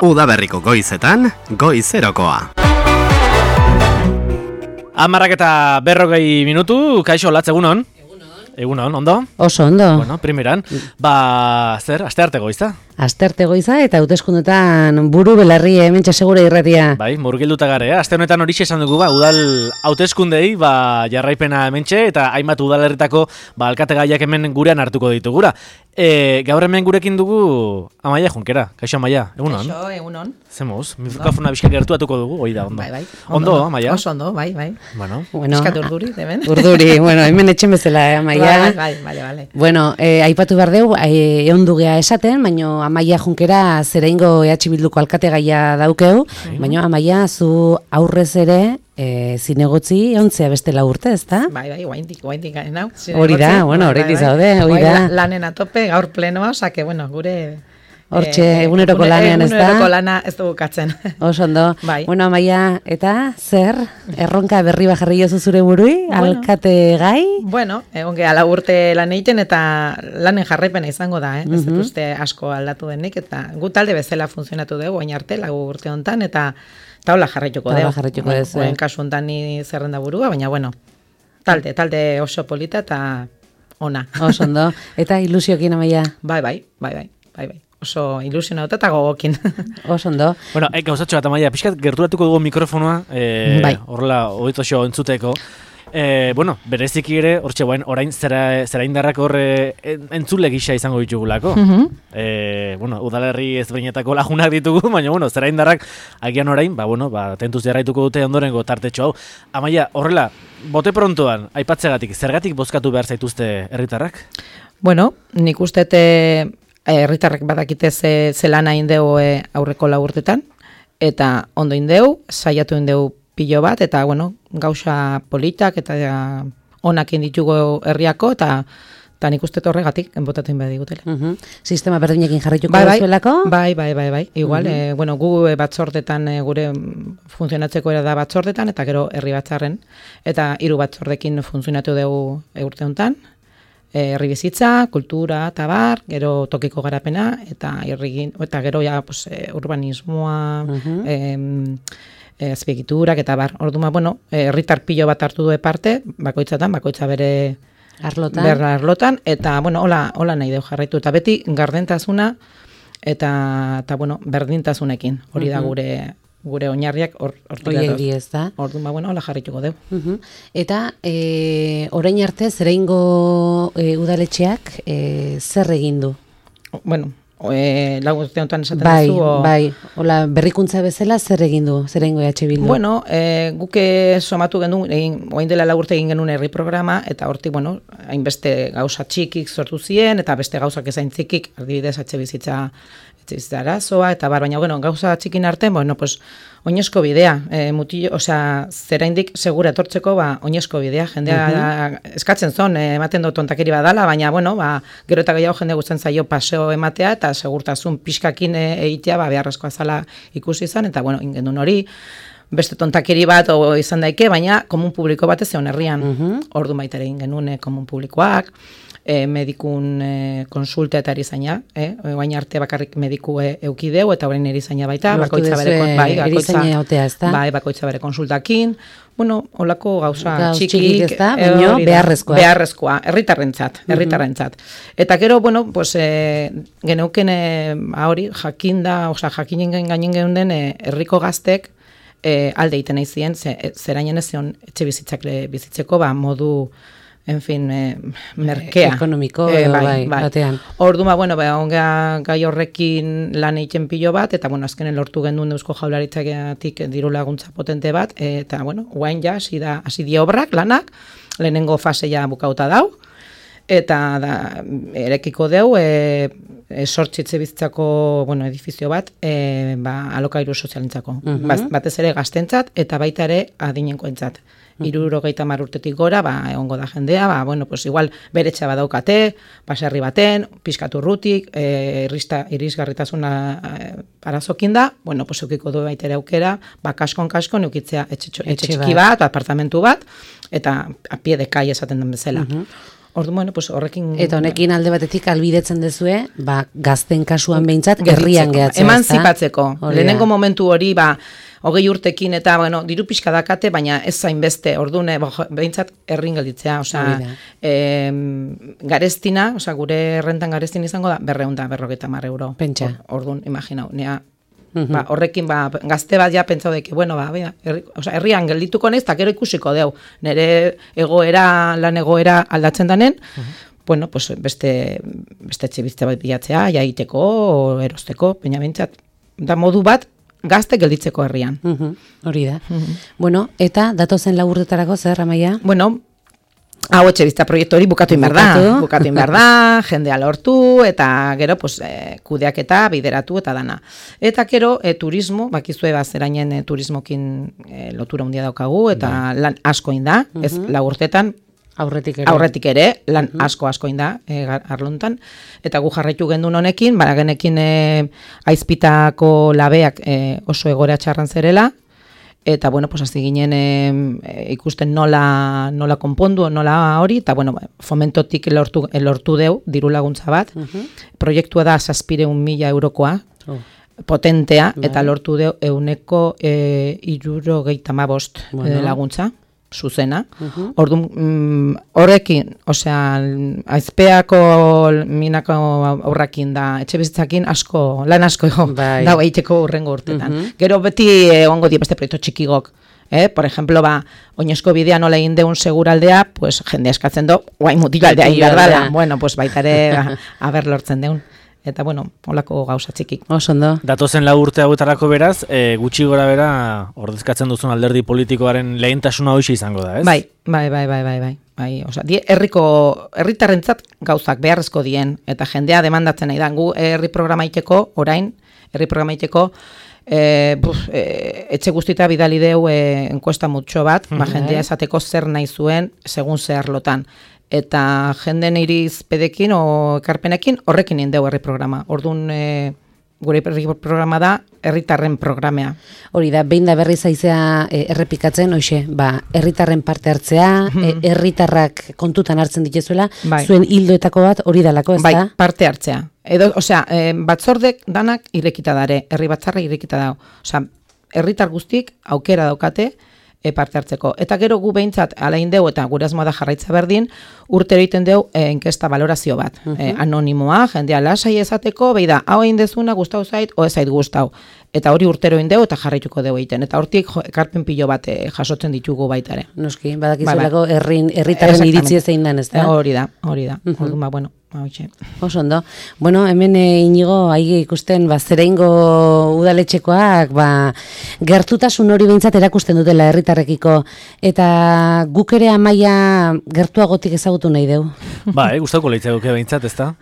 Udaberriko goizetan, goizerokoa. 10:40 minutu, kaixo latz egunon? Egunon, ondo? Oso ondo. Bueno, primeran, zer, astearte goiza? Astearte goiza eta hauteskundetan buru belarri hementxe segure irratia. Bai, murgilduta gare, aste honetan horixe esan dugu, udal hauteskundei, jarraipena hementxe, eta hainbat udalerritako, alkate gaiak hemen gurean hartuko ditugura. Gaur hemen gurekin dugu Amaia Junkera, kaixo Amaia, egunon? Kaixo, egunon. Zemuz, mikrofona bizka gertuatuko dugu, hoi da, ondo. Bai. Ondo, Amaia? Oso ondo, bai. Bueno. Eskat urduri, hemen. Urduri, hemen etxen bezala, Amaia. Bai. Bueno, aipatu behar deu, eondu gea esaten, baino Amaia Junkera zereingo EH Bilduko alkate gaia daukeu, baino Amaia zu aurrez ere zinegotzi ontzea bestela urte, ezta? Bai, guaindik garen hau. Hori da, bueno, horretik zaude, hori da. Lanen atope, gaur plenoa, osake, bueno, gure... Hortxe, eguneroko lanean, ez da? Eguneroko lana ez dugu katzen. Oso ondo. Bai. Bueno, Amaia, eta zer? Erronka berri bajarri jozu zure burui? Alkate gai? Bueno, egon geha lau urte lan egiten eta lanen jarraipena izango da, Ez dut uste asko aldatu denik, eta gu talde bezala funtzionatu dugu, oin arte, lau urte hontan, eta hola jarraituko dugu. Oen kasu hontan ni zerrenda burua, baina bueno, talde oso polita eta ona. Oso ondo. Eta ilusiokin, Amaia? Bai. Oso ilusionauta eta gogokin. Oso ondo. Bueno, gauzatxo bat, Amaia, pixkat gerturatuko dugu mikrofonoa, horrela, hogeitoxo entzuteko. Bueno, bereziki ere, hortxe orain zeraindarrak horre entzule gisa izango ditugulako. Bueno, udalerri ezberdinetako lagunak ditugu, baina, bueno, zeraindarrak agian orain, tentuz jarraituko dute ondorengo tartetxo hau. Amaia, horrela, bote prontoan, aipatzegatik, zergatik bozkatu behar zaituzte herritarrak? Bueno, nik ustete herritarrek badakite zelan hain deu aurreko lau urtetan, eta ondo indeu, saiatu indeu pilo bat, eta bueno, gauza politak eta onak inditugu herriako, eta nik uste horregatik enbotatzen behar digutela. Sistema berdinekin jarraituko duzuelako? Bai. Igual, bueno, gu batzordetan, gure funtzionatzeko era da batzordetan, eta gero herri batzarren, eta 3 batzordekin funtzionatu dugu urte honetan, herri bizitza, kultura, eta bar, gero tokiko garapena, eta gero urbanismoa, azpiegiturak eta bar. Orduma, bueno, herritar pilo bat hartu du parte, bakoitza bere arlotan, eta, bueno, hola nahi deu jarraitu. Eta beti gardentasuna eta bueno, berdintasunekin. Hori da gure oinarriak hortik ez da. Orduma, bueno, hola jarrituko deu. Eta orain arte zereingo udaletxeak zer egin du? Bueno, lau urte honetan esaten duzu. Bai, hola, berrikuntza bezala zer egin du, zereingo EH Bildu? Bueno, guke somatu genuen, oain dela lau urte egin genuen herri programa, eta hortik, bueno, hainbeste gauza txikik sortu ziren, eta beste gauzak ezain txikik, adibidez etxe bizitza arazoa, eta baina, bueno, gauza txikin arte, bueno, pues, oinezko bidea, zeraindik segura etortzeko, oinezko bidea, jendea eskatzen zon, ematen dut tontakeri badala, baina, bueno, gero eta gehiago jende guztien zaio paseo ematea, eta segurtasun pixkakin egitea, beharrezkoa zala ikusi izan, eta, bueno, ingendun hori, beste tontakeri bat izan daike, baina komun publiko bat ez zeon herrian, ordu baitare egin genuen komun publikoak, medikun konsulta eta erizaina, oain arte bakarrik mediku eukideu, eta orain erizaina baita, bakoitza bere konsultakin, bueno, holako gauza txikik, beharrezkoa, herritarrentzat. Eta gero, bueno, pues, geneuken hori, jakinen gainen geunden herriko gaztek alde egiten nahi ziren, zerainen ez zion etxe bizitzeko, modu, en fin, merkea. Ekonomiko, batean. Orduma, bueno, gai horrekin lan egiten pilo bat, eta, bueno, azkenen lortu gendun Eusko Jaurlaritzatik diru laguntza potente bat, eta, bueno, guain ja, hasi di obrak, lanak, lehenengo fase ja bukauta dau, eta erekiko deu, sortxitze bizitzako, bueno, edifizio bat, alokairu sozialentzako. Batez ere gaztentzat, eta baita ere adinenkoentzat. 70 urtetik gora, egongo da jendea, bueno, pues igual beretxa badaukate, baserri baten, pizkaturrutik, irisgarritasuna arazokin da, bueno, pues eukiko du baitere aukera, kaskon eukitzea etxe txiki bat, apartamentu bat, eta a pie de calle esaten den bezala. Orduan, bueno, pues horrekin... Eta honekin alde batetik albidetzen dezue, gazten kasuan behintzat, herrian gehatzea. Emanzipatzeko. Lehenengo momentu hori, 20 urtekin eta, bueno, diru pixka dakate, baina ez zain beste, orduan, behintzat herrin gelditzea, garestina, gure rentan garestin izango da, 250 euro. Pentsa. Orduan, imaginau, nea, horrekin, gazte bat ja pentsau deke, bueno, herrian geldituko naiz, eta gero ikusiko deu, nire lan egoera aldatzen danen, bueno, pues beste etxebizitza bat bilatzea, jaiteko, erosteko, baina behintzat, da modu bat, gazte gelditzeko herrian. Hori da. Bueno, eta datozen laburretarako zer, Amaia? Bueno, hau etxebizitza proiektu hori bukatu inbar da, jendea lortu, eta gero, pues, kudeaketa, bideratu eta dana. Eta gero, turismo, bakizue zerainen turismokin lotura handia daukagu, eta lan asko inda, ez lagurtetan, Aurretik ere, lan asko inda, arlontan, eta gu jarraitu gendun honekin, genekin aizpitako labeak oso egora txarran zerela, eta, bueno, pues, hasi ginen ikusten nola konpondu, nola hori, eta, bueno, fomentotik lortu deu, diru laguntza bat, proiektua da 700.000 eurokoa, potentea, eta lortu deu 175 laguntza, zuzena. Orduan, horrekin, aizpeako minako aurrakin da, etxe bizitzakin lan asko dago egiteko urrengo urtetan. Gero beti ongo die beste proiektu txikigok. Por ejemplo, oinezko bidea nola egin deun seguraldea, pues jende eskatzen do, guai mutilaldea ingardala. Bueno, pues baitare haber lortzen deun. Eta, bueno, holako gauza txiki. Osondo. Datozen 4 urte hauetarako beraz, gutxi gora bera, ordezkatzen duzun alderdi politikoaren lehentasuna hoxe izango da, ez? Bai. Herritarrentzat gauzak beharrezko dien, eta jendea demandatzen nahi da. Gu herri programa iteko, etxe guztita bidali deu enkuesta mutxo bat, jendea esateko zer nahi zuen, segun zehar lotan. Eta jenden irizpedekin o ekarpenekin horrekin indeu herri programa. Orduan, gure herri programa da herritarren programea. Hori da, behin da berri zaizea errepikatzen, herritarren parte hartzea, herritarrak kontutan hartzen dituzuela, zuen hildoetako bat hori dalako, ez da? Bai, parte hartzea. Batzordek danak irekita dare, herri batzarra irekita dago. Herritar guztik aukera daukate, parte hartzeko. Eta gero gu behintzat alain deu, eta gure asmoa da jarraitza berdin, urtero egiten deu inkesta valorazio bat. Anonimoa, jendea lasai ezateko, beida, hau egin dezuna, gustau zait, o ez zait gustau. Eta hori urtero egin deu, eta jarraituko deu egiten. Eta hortik ekarpen pilo bat jasotzen ditugu baitare. Noski, badakizuelako herritarren iritzi zein den, ez da? Hori da. Orduan, bueno, oso ondo. Bueno, hemen Inigo aige ikusten zereingo udaletxekoak gertutasun hori behintzat erakusten dutela herritarrekiko, eta guk ere Amaia gertuagotik ezagutu nahi deu. Gustauko leitzauke behintzat, ez da?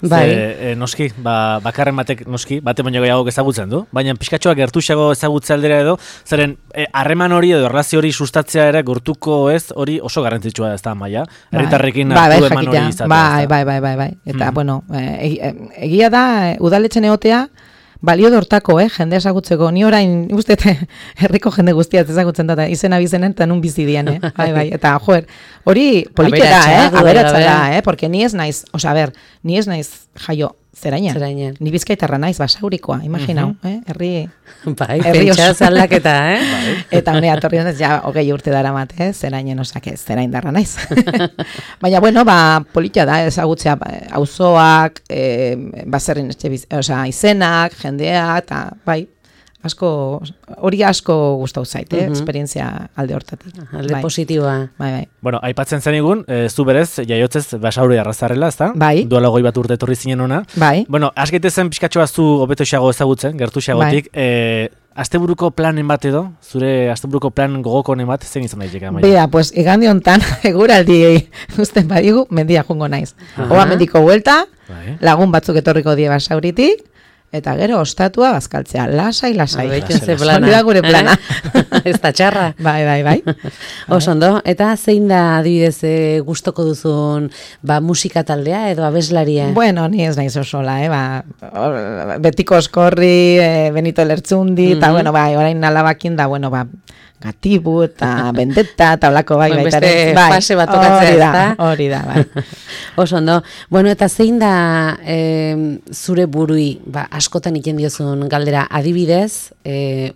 Noski, bakarren batek noski, bate baino gehiago ezagutzen du, baina pixkatxoak gertuxago ezagutze aldera edo, zeren harreman hori edo erlazio hori sustatzea ere gertuko ez hori oso garrantzitsua ez da, Amaia? Herritarrekin hartu eman hori izatea. Bai. Eta, bueno, egia da, udaletxen egotea, balio dortako, jende ezagutzeko. Ni orain, guztiete, herriko jende guztiat ezagutzen da, izena bizenen, eta nun bizi dien, bai. Eta, hori politera, aberatza da, porque ni ez naiz jaio zerainen. Ni Bizkaitarra naiz, Basaurikoa, imaginau, herri... Bai, pentsa zaldaketa, Eta honea, torri honez, 20 urte dara mat, zerainen zerain darra naiz. Baina, bueno, politia da, ezagutzea, auzoak, bazerrin izenak, jendea, eta, bai, hori asko gustau zait, esperientzia alde hortatik. Alde positiboa. Bai. Bueno, aipatzen zenigun, zu berez, jaiotzez Basauri arrazarrela, ez da? Bai. Duela 20 urte etorri zinen ona. Bai. Bueno, asgaitezen pixkatxoa zu hobeto xago ezagutzen, gertu xagotik. Asteburuko planen bat edo, zure asteburuko plan gogokonen bat, zein izan daiteke, Amaia? Bea, pues, igande hontan, eguraldi usten badigu, mendia jungo naiz. Oa mendiko buelta, lagun batzuk etorriko die Basauritik, eta gero ostatua bazkaltzea, lasai. Hori da gure plana. Ez da txarra. Bai. Oso ondo, eta zein da adibidez gustoko duzun musika taldea edo abeslaria? Bueno, ni ez naiz osola, Betiko Oskorri, Benito Lertzundi, eta bueno, orain alabakin da, bueno, negatibu eta bendeta eta olako bai beste fase bat tokatzea, hori da, bai. Oso ondo. Bueno, eta zein da zure burui, askotan iten diozun galdera, adibidez,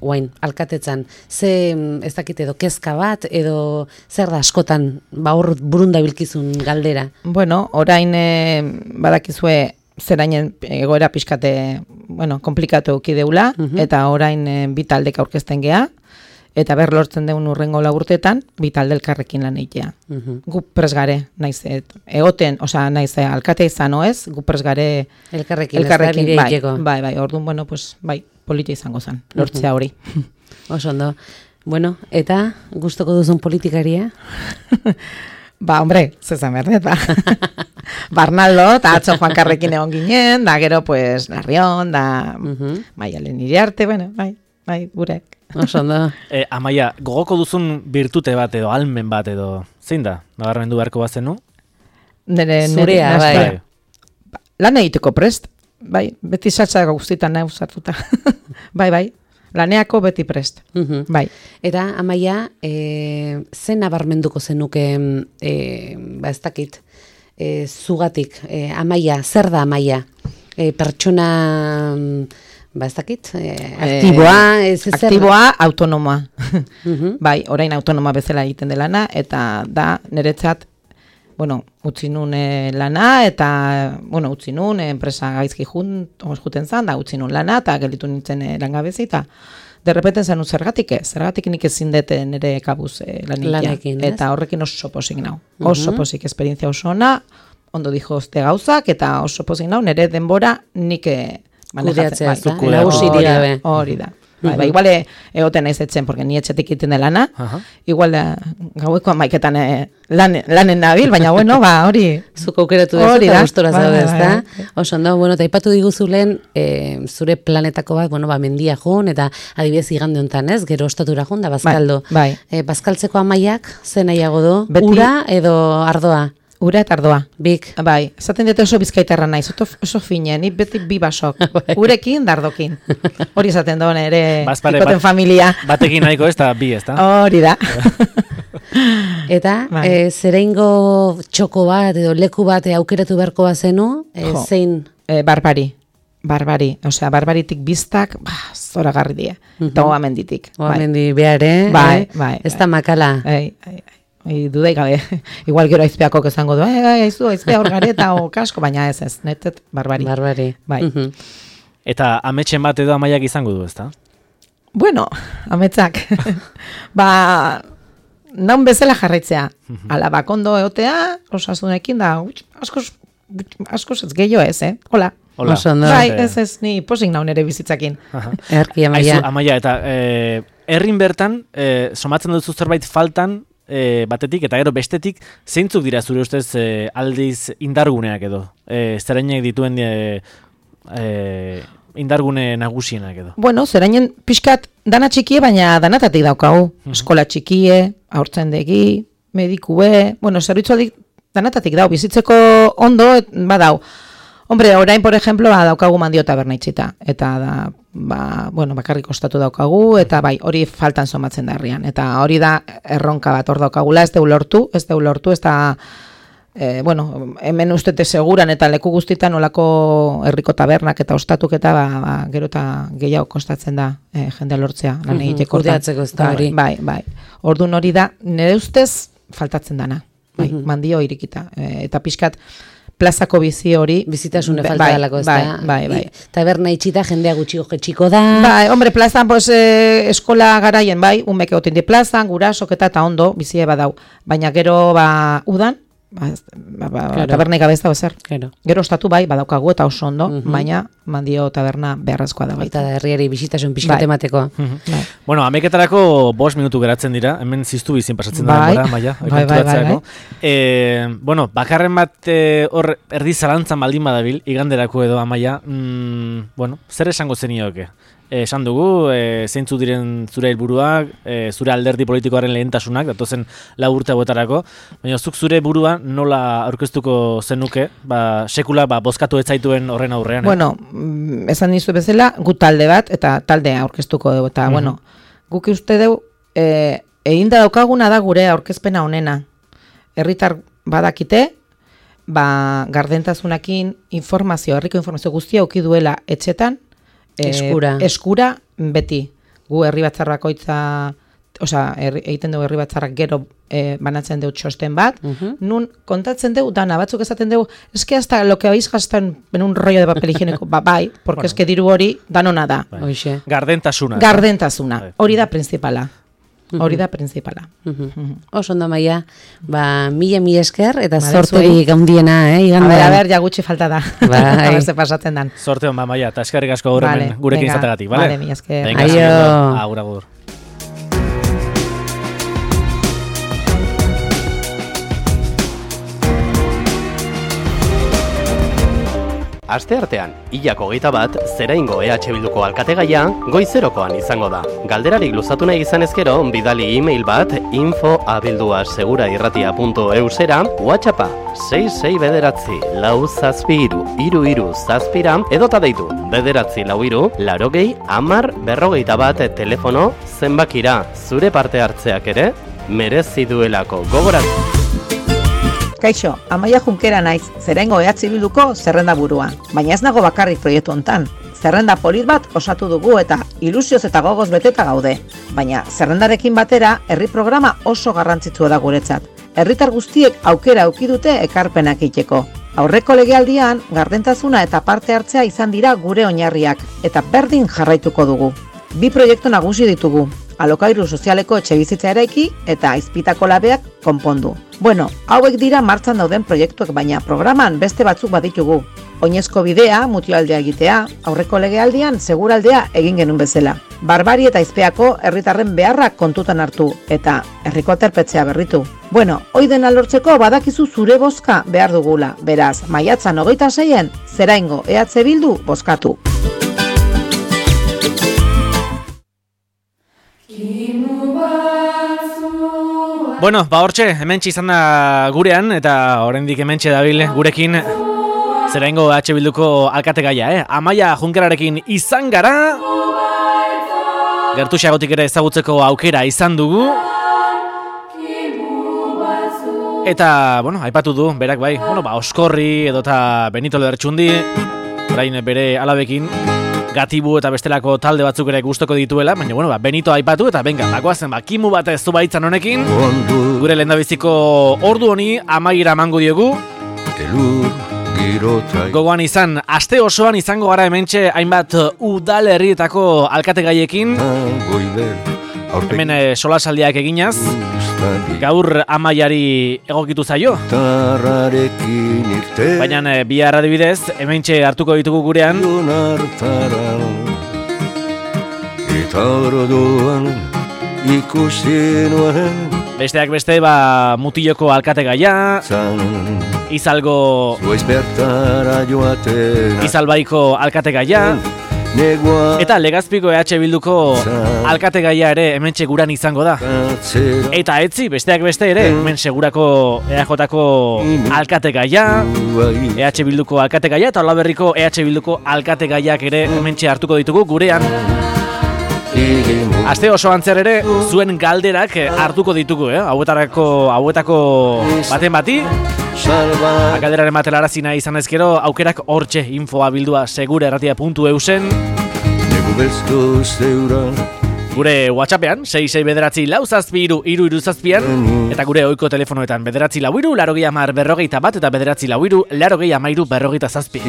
oain, alkatetzan, ze ez dakit edo kezka bat, edo zer da askotan, hor burunda bilkizun galdera? Bueno, orain badakizue zerainen egoera pixkate, komplikatu eukideula, eta orain bi taldek aurkezten gea, eta lortzen deun urrengo urteetan, bi talde elkarrekin lan egitea. Gu presgare, naiz, egoten, naiz, alkatea izan oez, gu presgare elkarrekin, bai, orduan, bai, politia izango zen, lortzea hori. Oso ondo. Bueno, eta gustoko duzun politikaria? Hombre, zezan berdet, Barnaldo, eta atzo Juan Karrekin egon ginen, da gero, Larrion, da Maialen Iriarte, bai, gurek. Oso ondo. Amaia, gogoko duzun birtute bat edo, almen bat edo, zein da? Nabarmendu beharko bazenu? Zurea, bai. Lan egiteko prest, bai, beti saltza guztietan nahi usartuta. Bai, laneako beti prest, bai. Eta, Amaia, zen nabarmenduko zenuke, ez dakit, zugatik, Amaia, zer da Amaia? Pertsona, ez dakit, aktiboa, autonomoa. Bai, orain autonoma bezala egiten delana, eta da, niretzat, utzi nun lana, eta, utzi nun, enpresa gaizki juten zan, da, utzi nun lana, eta gelitu nintzen langabezi, eta derrepeten zen zergatik nik ezin dute nire kabuz lanekin, eta horrekin oso posik nau. Oso posik, esperientzia oso ona, ondo dijo oste gauzak, eta oso posik nau, nire denbora nik kudeatzea, hori da. Igual egoten naiz etzen, porque ni etxetik iten de lana, igual gaueko amaiketan lanen nabil, baina hori... Zuko aukeratu dezu eta gustora zaude, ezta? Oso ondo, eta ipatu diguzulen zure planetako bat, mendia joan, eta adibidez igande honetan, ez? Gero ostatura joan da Bazkaldo. Bazkaltzeko Amaiak, zen nahiago du? Ura edo ardoa? Ura eta ardoa. Bik. Bai, esaten dute oso bizkaitarra naiz, oso fine, ni beti bi basok. Urekin, dardokin. Hori esaten da ere ikoten familia. Batekin nahiko ez da bi, ez da? Hori da. Eta, zereingo txoko bat edo leku bat aukeratu beharko bazenu, zein? Barbari, barbaritik biztak, zoragarri die. Eta oamenditik. Oamendi behar, Bai. Ez da makala. Dudai gabe, igual gero aizpeako kezango du, aizpea hor gareta o kasko, baina ez, netet, barbari. Bai. Eta ametxen bat edo Amaiak izango du, ezta? Bueno, ametsak, naun bezala jarraitzea, ala bakondo eotea, osasunekin da, askoz ez gehiago ez, hola. Bai, ez, ni posik naun ere bizitzakin. Erki, Amaia. Amaia, eta herrin bertan, somatzen duzu zerbait faltan, batetik eta gero bestetik, zeintzuk dira zure ustez aldiz indarguneak edo? Zerainek dituen indargune nagusienak edo? Bueno, zerainen pixkat dana txikie, baina danatatik daukagu. Eskola txikie, haurtzendegi, medikue, zerbitzu danatatik dau, bizitzeko ondo badau. Hombre, orain, por ejemplo, daukagu Mandio taberna itxita, eta da, bakarrik ostatu daukagu, eta bai, hori faltan somatzen da herrian, eta hori da erronka bat hor daukagula, ez deu lortu, ez da, hemen ustete seguran eta leku guztitan olako herriko tabernak eta ostatuk eta gero eta gehiago kostatzen da jendea lortzea, lan egiteko. Kudeatzeko ez da hori. Bai. Orduan hori da, nire ustez faltatzen dana, Mandio irikita, eta pixkat, plazako bizi hori. Bizitasune falta dalako, ez da? Bai. Taberna itxita, jendea gutxiko da. Bai, hombre, plazan, eskola garaien, umek egoten di plazan, gurasok eta ondo, bizie badau. Baina gero, udan, taberna ikabez da, bezer. Gero ostatu badaukagu eta oso ondo, baina Mandio taberna beharrezkoa da baita. Eta herriari bisitasun pixkat emateko. Bueno, ameketarako 5 minutu geratzen dira, hemen ziztu bizin pasatzen da, Maia. Bueno, bakarren bat hor erdi zalantzan baldin badabil, iganderako edo, Amaia, zer esango zenioke? Esan dugu, zeintzu diren zure helburuak, zure alderdi politikoaren lehentasunak, datozen 4 urte hauetarako, baina zuk zure burua nola aurkeztuko zenuke, sekula bozkatu ez zaituen horren aurrean. Bueno, esan nizu bezala, gu talde bat, eta taldea aurkeztuko dugu, eta guk uste dugu, egin da daukaguna da gure aurkezpena honena. Herritar badakite, gardentasunakin herriko informazio guztia auki duela etxetan, eskura beti. Gu herri batzar bakoitza, egiten dugu herri batzarrak gero banatzen dugu txosten bat, nun kontatzen dugu dana, batzuk esaten dugu, eske hasta lo que habéis gastado en un rollo de papel higiénico, bai, porque eske diru hori danona da. Gardentasuna, hori da principala. Oso ondo, Amaia, mila esker, eta zorterik handiena, igandea. A ver, ja gutxi falta da. A ver, se pasatzen dan. Zorte hon, Amaia, eta eskerrik asko gaur hemen gurekin izatagatik, bale? Vale, mila esker. Agur. Asteartean, hilak 21, Zeraingo EH Bilduko alkategaia goizerokoan izango da. Galderarik luzatu nahi izan ezkero, bidali e-mail bat info@segurairratia.eusera, WhatsAppa 66 bederatzi lau zazpi iru zazpira, edota deitu bederatzi lau iru, 80 10 41 telefono zenbakira. Zure parte hartzeak ere merezi duelako, gogoratu. Kaixo, Amaia Junkera naiz, Zeraingo EH Bilduko zerrenda burua. Baina ez nago bakarrik proiektu hontan. Zerrenda polit bat osatu dugu eta ilusioz eta gogoz beteta gaude. Baina zerrendarekin batera, herri programa oso garrantzitsua da guretzat. Herritar guztiek aukera auki dute ekarpenak egiteko. Aurreko legealdian, gardentasuna eta parte hartzea izan dira gure oinarriak, eta berdin jarraituko dugu. 2 proiektu nagusi ditugu. Alokairu sozialeko etxebizitza eraiki eta Azpitako labeak konpondu. Bueno, hauek dira martxan dauden proiektuak, baina programan beste batzuk baditugu. Oinezko bidea, mutioaldea egitea, aurreko legealdian seguraldea egin genuen bezala. Barbari eta Aizpeako herritarren beharrak kontutan hartu eta herriko aterpetzea berritu. Bueno, hoi dena lortzeko badakizu zure bozka behar dugula. Beraz, maiatzan 26en, Zeraingo EH Bildu bozkatu. Bueno, hortxe, hementxe izan da gurean, eta oraindik hementxe dabil gurekin Zeraingo EH Bilduko alkategaia, Amaia Junkerarekin izan gara. Gertuxagotik ere ezagutzeko aukera izan dugu. Eta, aipatu du, berak bai, Oskorri edota Benito Lertxundi, orain bere alabekin, Gatibu eta bestelako talde batzuk ere gustoko dituela, baina, Benito aipatu eta bagoazen, kimu bat ez zubaitzan honekin, gure lehendabiziko ordu honi amaiera emango diegu. Gogoan izan, aste osoan izango gara hementxe hainbat udalerrietako alkategaiekin, hemen solasaldiak eginaz, gaur Amaiari egokitu zaio. Baina bihar adibidez, hementxe hartuko ditugu gurean. Besteak beste, Mutiloko alkategaia, Izalbaiko alkategaia, eta Legazpiko EH Bilduko alkategaia ere hementxe guran izango da. Eta etzi, besteak beste ere, hemen segurako EAJ-ko alkategaia, EH Bilduko alkategaia, eta Olaberriko EH Bilduko alkategaiak ere hementxe hartuko ditugu gurean. Aste oso antzer ere, zuen galderak hartuko ditugu, hauetako baten bati. Galderaren matelara izan ezkero, aukerak hortxe infoa bildua segurairratia.eusen. Gure WhatsAppean, 66 bederatzi lau zazpi iru zazpian, eta gure ohiko telefonoetan bederatzi lau iru, 80 41 eta bederatzi lau iru, 80 47.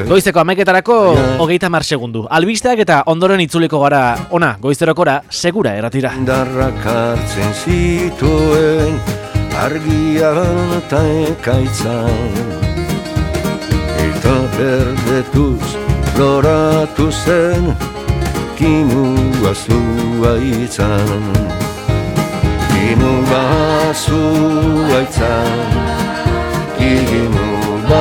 Goizeko 11etarako 30 segundu. Albisteak eta ondoren itzuliko gara ona goizerokora segura erratira. Darrak hartzen zituen argian eta ekaitzan, eta berdetuz loratu zen kimua zuaitzan, kimua zuaitzan, kimua